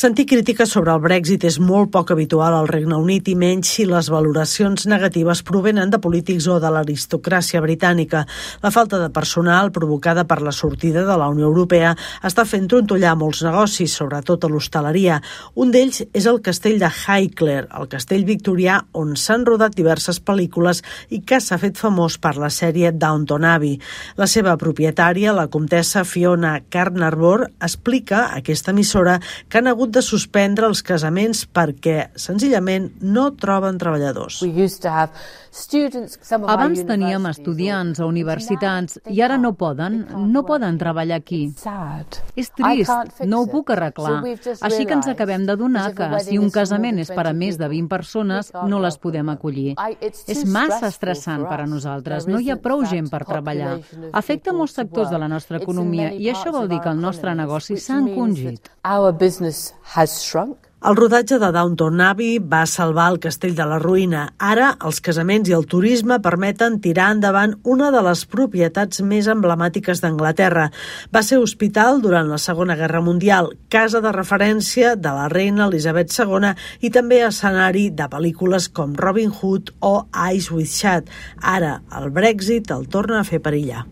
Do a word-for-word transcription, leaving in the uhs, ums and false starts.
Sentir crítiques sobre el Brexit és molt poc habitual al Regne Unit i menys si les valoracions negatives provenen de polítics o de l'aristocràcia britànica. La falta de personal provocada per la sortida de la Unió Europea està fent trontollar molts negocis, sobretot a l'hostaleria. Un d'ells és el castell de Highclere, el castell victorià on s'han rodat diverses pel·lícules i que s'ha fet famós per la sèrie Downton Abbey. La seva propietària, la comtessa Fiona Carnarvon, explica a aquesta emissora que han hagut de suspendre els casaments perquè, senzillament, no troben treballadors. Abans teníem estudiants a universitats i ara no poden, no poden treballar aquí. És trist, no ho puc arreglar. Així que ens acabem d'adonar que si un casament és per a més de vint persones, no les podem acollir. És massa estressant per a nosaltres, no hi ha prou gent per treballar. Afecta molts sectors de la nostra economia i això vol dir que el nostre negoci s'ha encongit. El rodatge de Downton Abbey va salvar el castell de la ruïna. Ara, els casaments i el turisme permeten tirar endavant una de les propietats més emblemàtiques d'Anglaterra. Va ser hospital durant la Segona Guerra Mundial, casa de referència de la reina Elisabet segona i també escenari de pel·lícules com Robin Hood o Eyes Wide Shut. Ara, el Brexit el torna a fer perillar.